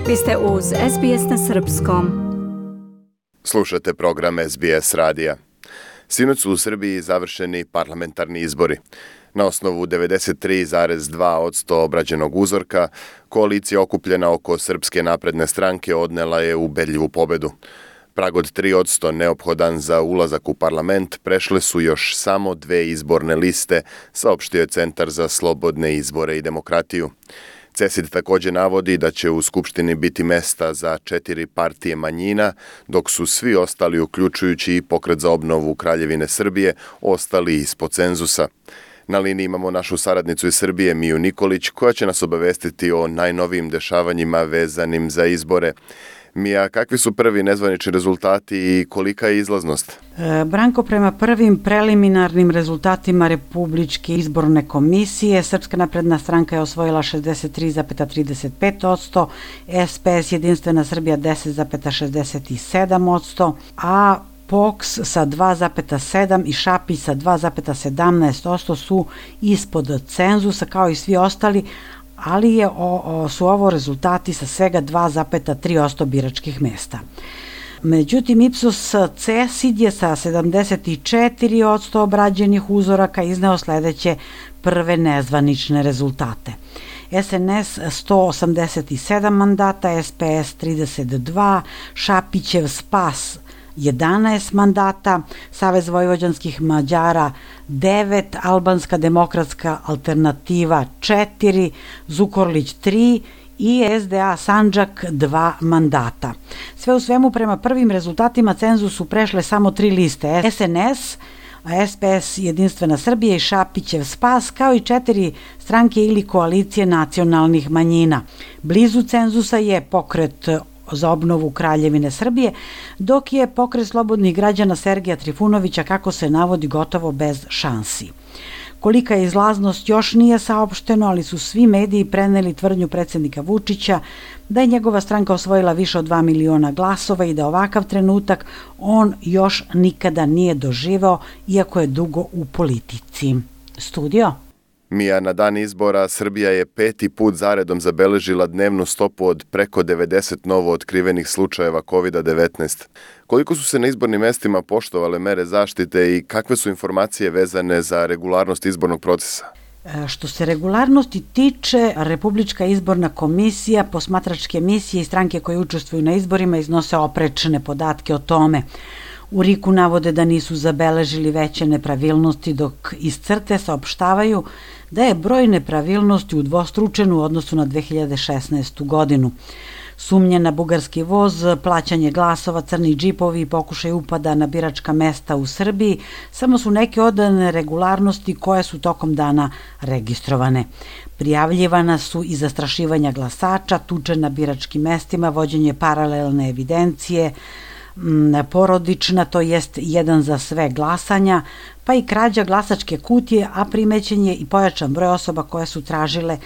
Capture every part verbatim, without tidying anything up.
Vi ste uz S B S na srpskom. Slušate program S B S radija. Sinoć su u Srbiji završeni parlamentarni izbori. Na osnovu devedeset tri zarez dva posto obrađenog uzorka, koalicija okupljena oko Srpske napredne stranke odnela je ubedljivu pobedu. Prag od tri posto neophodan za ulazak u parlament prešle su još samo dve izborne liste, saopštio je Centar za slobodne izbore i demokratiju. CESID također navodi da će u Skupštini biti mesta za četiri partije manjina, dok su svi ostali, uključujući i Pokret za obnovu Kraljevine Srbije, ostali ispod cenzusa. Na liniji imamo našu saradnicu iz Srbije, Miju Nikolić, koja će nas obavestiti o najnovijim dešavanjima vezanim za izbore. Mija, kakvi su prvi nezvanični rezultati i kolika je izlaznost? E, Branko, prema prvim preliminarnim rezultatima Republičke izborne komisije, Srpska napredna stranka je osvojila šezdeset tri zarez trideset pet posto, S P S Jedinstvena Srbija deset zarez šezdeset sedam posto, a P O K S sa dva zarez sedam i Šapić sa dva zarez sedamnaest posto su ispod cenzusa kao i svi ostali, ali je, o, o, su ovo rezultati sa svega dva zarez tri posto biračkih mesta. Međutim, Ipsos CESID je sa sedamdeset četiri posto obrađenih uzoraka izneo sledeće prve nezvanične rezultate. S N S sto osamdeset sedam mandata, S P S trideset dva, Šapićev Spas jedanaest mandata, Savez vojvođanskih Mađara devet, Albanska demokratska alternativa četiri, Zukorlić tri i S D A Sandžak dva mandata. Sve u svemu, prema prvim rezultatima cenzus su prešle samo tri liste: S N S, S P S Jedinstvena Srbija i Šapićev Spas, kao i četiri stranke ili koalicije nacionalnih manjina. Blizu cenzusa je Pokret za obnovu Kraljevine Srbije, dok je Pokret slobodnih građana Sergeja Trifunovića, kako se navodi, gotovo bez šansi. Kolika je izlaznost još nije saopšteno, ali su svi mediji preneli tvrdnju predsjednika Vučića da je njegova stranka osvojila više od dva miliona glasova i da ovakav trenutak on još nikada nije doživeo, iako je dugo u politici. Studio? Mija, na dan izbora Srbija je peti put zaredom zabeležila dnevnu stopu od preko devedeset novo otkrivenih slučajeva kovid devetnaest. Koliko su se na izbornim mestima poštovale mere zaštite i kakve su informacije vezane za regularnost izbornog procesa? Što se regularnosti tiče, Republička izborna komisija, posmatračke misije i stranke koje učestvuju na izborima iznose oprečne podatke o tome. U R I K-u navode da nisu zabeležili veće nepravilnosti, dok iz CRTE saopštavaju da je broj nepravilnosti udvostručen u odnosu na dve hiljade šesnaestu. godinu. Sumnje na bugarski voz, plaćanje glasova, crni džipovi i pokušaj upada na biračka mesta u Srbiji samo su neke od neregularnosti koje su tokom dana registrovane. Prijavljivana su i zastrašivanja glasača, tuče na biračkim mestima, vođenje paralelne evidencije, porodična, to jest jedan za sve glasanja, pa i krađa glasačke kutije, a primećen je i pojačan broj osoba koje su tražile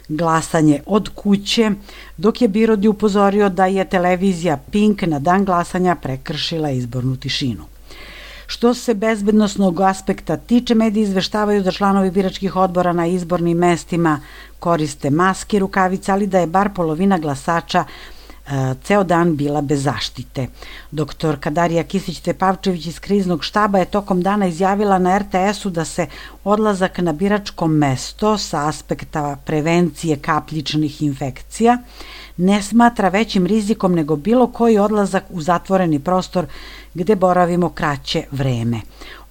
glasanje od kuće, dok je Birodi upozorio da je televizija Pink na dan glasanja prekršila izbornu tišinu. Što se bezbednosnog aspekta tiče, mediji izveštavaju da članovi biračkih odbora na izbornim mestima koriste maske, rukavice, ali da je bar polovina glasača ceo dan bila bez zaštite. Doktorka Darija Kisić-Tepavčević iz kriznog štaba je tokom dana izjavila na R T S-u da se odlazak na biračko mesto sa aspekta prevencije kapljičnih infekcija ne smatra većim rizikom nego bilo koji odlazak u zatvoreni prostor gde boravimo kraće vreme.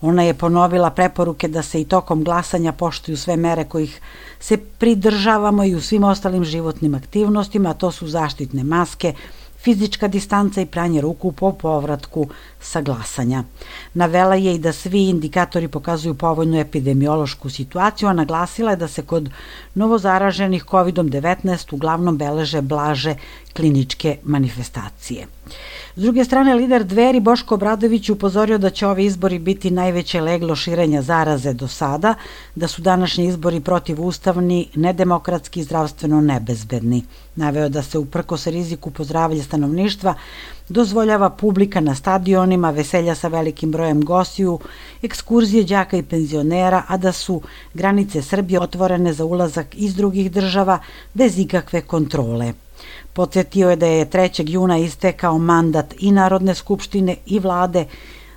Ona je ponovila preporuke da se i tokom glasanja poštuju sve mere kojih se pridržavamo i u svim ostalim životnim aktivnostima, a to su zaštitne maske, fizička distanca i pranje ruku po povratku sa glasanja. Navela je i da svi indikatori pokazuju povoljnu epidemiološku situaciju, a naglasila je da se kod novozaraženih kovid devetnaest uglavnom beleže blaže kliničke manifestacije. S druge strane, lider Dveri Boško Obradović upozorio da će ovi izbori biti najveće leglo širenja zaraze do sada, da su današnji izbori protivustavni, nedemokratski i zdravstveno nebezbedni. Naveo da se uprkos riziku po zdravlje stanovništva dozvoljava publika na stadionima, veselja sa velikim brojem gostiju, ekskurzije đaka i penzionera, a da su granice Srbije otvorene za ulazak iz drugih država bez ikakve kontrole. Podsjetio je da je trećeg juna istekao mandat i Narodne skupštine i vlade,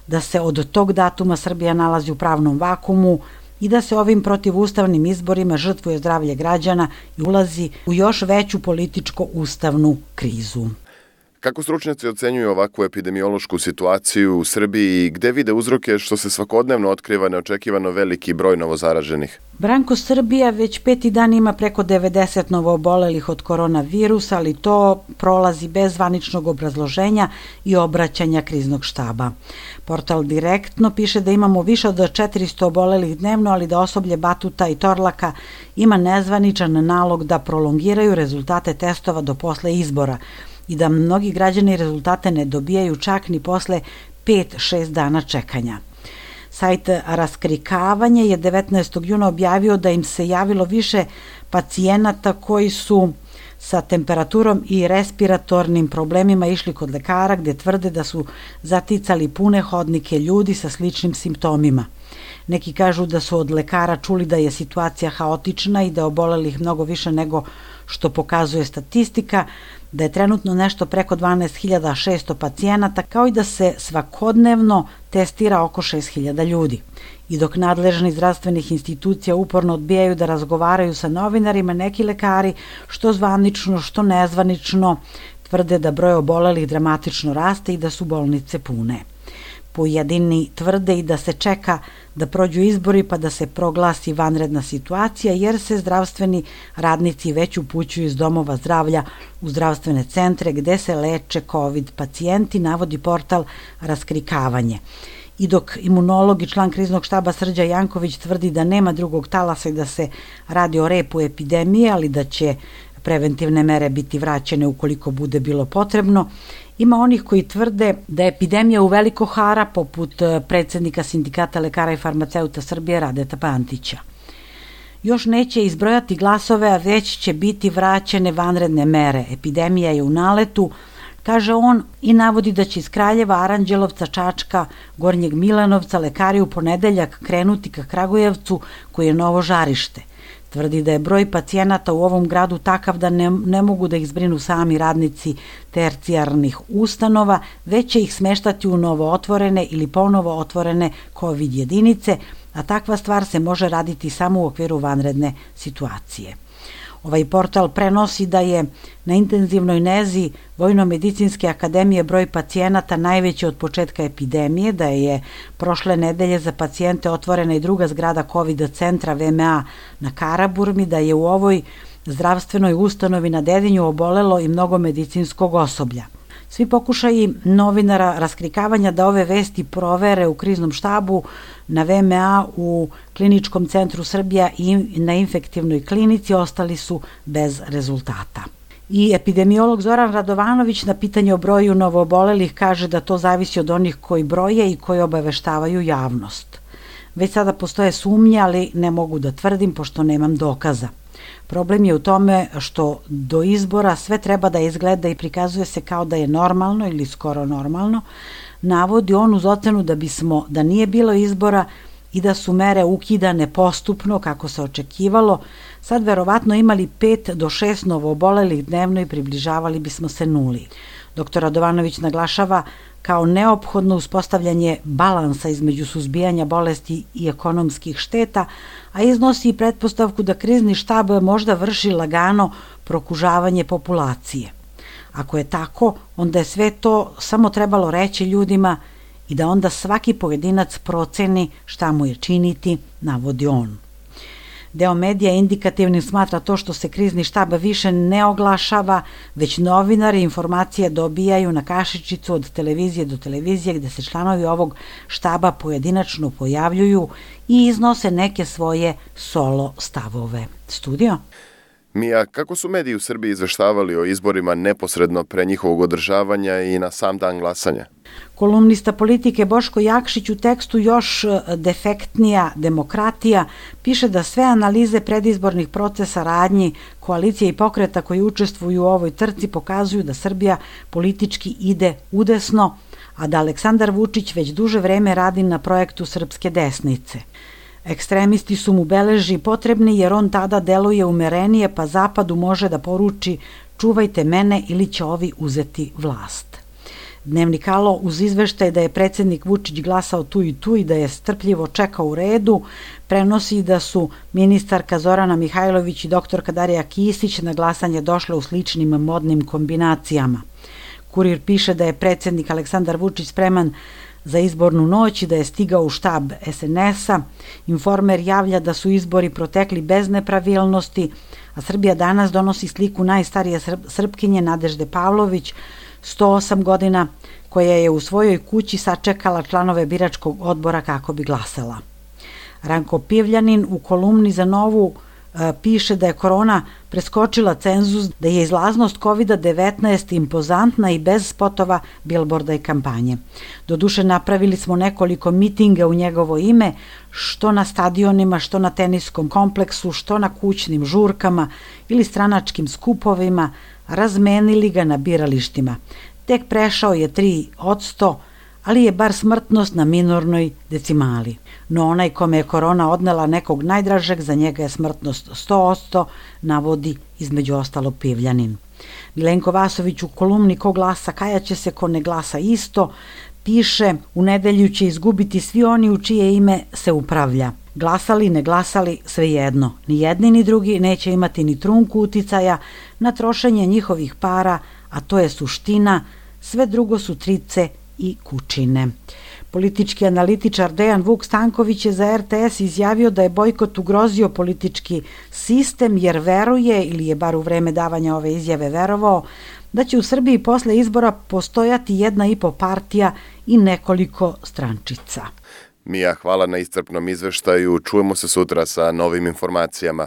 da se od tog datuma Srbija nalazi u pravnom vakumu i da se ovim protivustavnim izborima žrtvuje zdravlje građana i ulazi u još veću političko-ustavnu krizu. Kako stručnjaci ocenjuju ovakvu epidemiološku situaciju u Srbiji i gde vide uzroke što se svakodnevno otkriva neočekivano veliki broj novozaraženih? Branko, Srbija već peti dan ima preko devedeset novoobolelih od koronavirusa, ali to prolazi bez zvaničnog obrazloženja i obraćanja kriznog štaba. Portal Direktno piše da imamo više od četiristo obolelih dnevno, ali da osoblje Batuta i Torlaka ima nezvaničan nalog da prolongiraju rezultate testova do posle izbora i da mnogi građani rezultate ne dobijaju čak ni posle pet šest dana čekanja. Sajt Raskrikavanje je devetnaestog juna objavio da im se javilo više pacijenata koji su sa temperaturom i respiratornim problemima išli kod lekara, gde tvrde da su zaticali pune hodnike ljudi sa sličnim simptomima. Neki kažu da su od lekara čuli da je situacija haotična i da je obolelih mnogo više nego što pokazuje statistika, da je trenutno nešto preko dvanaest hiljada šesto pacijenata, kao i da se svakodnevno testira oko šest hiljada ljudi. I dok nadležni zdravstvenih institucija uporno odbijaju da razgovaraju sa novinarima, neki lekari, što zvanično, što nezvanično, tvrde da broj obolelih dramatično raste i da su bolnice pune. Pojedini tvrde i da se čeka da prođu izbori pa da se proglasi vanredna situacija, jer se zdravstveni radnici već upućuju iz domova zdravlja u zdravstvene centre gde se leče COVID pacijenti, navodi portal Raskrikavanje. I dok imunolog i član kriznog štaba Srđan Janković tvrdi da nema drugog talasa i da se radi o repu epidemije, ali da će preventivne mere biti vraćene ukoliko bude bilo potrebno, ima onih koji tvrde da je epidemija uveliko hara, poput predsednika Sindikata lekara i farmaceuta Srbije Radeta Pantića. Još neće izbrojati glasove, a već će biti vraćene vanredne mere. Epidemija je u naletu, kaže on, i navodi da će iz Kraljeva, Aranđelovca, Čačka, Gornjeg Milanovca lekari u ponedeljak krenuti ka Kragujevcu, koji je novo žarište. Tvrdi da je broj pacijenata u ovom gradu takav da ne, ne mogu da ih zbrinu sami radnici tercijarnih ustanova, već će ih smeštati u novo otvorene ili ponovo otvorene COVID jedinice, a takva stvar se može raditi samo u okviru vanredne situacije. Ovaj portal prenosi da je na intenzivnoj nezi Vojno-medicinske akademije broj pacijenata najveći od početka epidemije, da je prošle nedelje za pacijente otvorena i druga zgrada COVID centra V M A na Karaburmi, da je u ovoj zdravstvenoj ustanovi na Dedinju obolelo i mnogo medicinskog osoblja. Svi pokušaji novinara Raskrikavanja da ove vesti provere u kriznom štabu na V M A u Kliničkom centru Srbija i na infektivnoj klinici ostali su bez rezultata. I epidemiolog Zoran Radovanović na pitanje o broju novoobolelih kaže da to zavisi od onih koji broje i koji obaveštavaju javnost. Već sada postoje sumnje, ali ne mogu da tvrdim pošto nemam dokaza. Problem je u tome što do izbora sve treba da izgleda i prikazuje se kao da je normalno ili skoro normalno, navodi on uz ocenu da bismo, da nije bilo izbora i da su mere ukidane postupno kako se očekivalo, sad verovatno imali pet do šest novoobolelih dnevno i približavali bismo se nuli. Doktor Radovanović naglašava kao neophodno uspostavljanje balansa između suzbijanja bolesti i ekonomskih šteta, a iznosi i pretpostavku da krizni štab možda vrši lagano prokužavanje populacije. Ako je tako, onda je sve to samo trebalo reći ljudima i da onda svaki pojedinac proceni šta mu je činiti, navodi on. Deo medija indikativnim smatra to što se krizni štab više ne oglašava, već novinari informacije dobijaju na kašičicu od televizije do televizije gde se članovi ovog štaba pojedinačno pojavljuju i iznose neke svoje solo stavove. Studio? Mija, kako su mediji u Srbiji izveštavali o izborima neposredno pre njihovog održavanja i na sam dan glasanja? Kolumnista politike Boško Jakšić u tekstu Još defektnija demokratija piše da sve analize predizbornih procesa, radnji, koalicije i pokreta koji učestvuju u ovoj trci pokazuju da Srbija politički ide udesno, a da Aleksandar Vučić već duže vreme radi na projektu srpske desnice. Ekstremisti su mu beleži potrebni jer on tada deluje umerenije, pa Zapadu može da poruči čuvajte mene ili će ovi uzeti vlast. Dnevnik Alo uz izveštaj da je predsjednik Vučić glasao tu i tu i da je strpljivo čekao u redu, prenosi da su ministarka Zorana Mihajlović i doktorka Darija Kisić na glasanje došle u sličnim modnim kombinacijama. Kurir piše da je predsjednik Aleksandar Vučić spreman za izbornu noć i da je stigao u štab es en es-a. Informer javlja da su izbori protekli bez nepravilnosti, a Srbija danas donosi sliku najstarije Srpkinje Nadežde Pavlović, sto osam godina, koja je u svojoj kući sačekala članove biračkog odbora kako bi glasala. Ranko Pivljanin u kolumni za Novu e, piše da je korona preskočila cenzus, da je izlaznost kovid devetnaest impozantna i bez spotova, bilborda i kampanje. Doduše napravili smo nekoliko mitinga u njegovo ime, što na stadionima, što na teniskom kompleksu, što na kućnim žurkama ili stranačkim skupovima, razmenili ga na biralištima. Tek prešao je tri odsto, ali je bar smrtnost na minornoj decimali. No onaj kome je korona odnela nekog najdražeg, za njega je smrtnost sto odsto, navodi između ostalog Pivljanin. Milenko Vasović u kolumni Ko glasa kajaće se, ko ne glasa isto, piše u nedelju će izgubiti svi oni u čije ime se upravlja. Glasali, ne glasali, svejedno. Ni jedni ni drugi neće imati ni trunku uticaja na trošenje njihovih para, a to je suština, sve drugo su trice i kučine. Politički analitičar Dejan Vuk Stanković je za er te es izjavio da je bojkot ugrozio politički sistem jer veruje, ili je bar u vreme davanja ove izjave verovao, da će u Srbiji posle izbora postojati jedna i po partija i nekoliko strančica. Mija, hvala na iscrpnom izveštaju. Čujemo se sutra sa novim informacijama.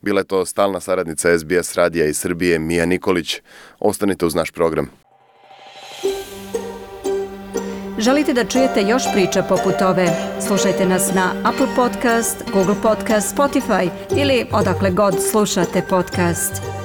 Bila je to stalna saradnica es be es radija iz Srbije, Mija Nikolić. Ostanite uz naš program. Želite da čujete još priča poput ove? Slušajte nas na Apple Podcast, Google Podcast, Spotify ili odakle god slušate podcast.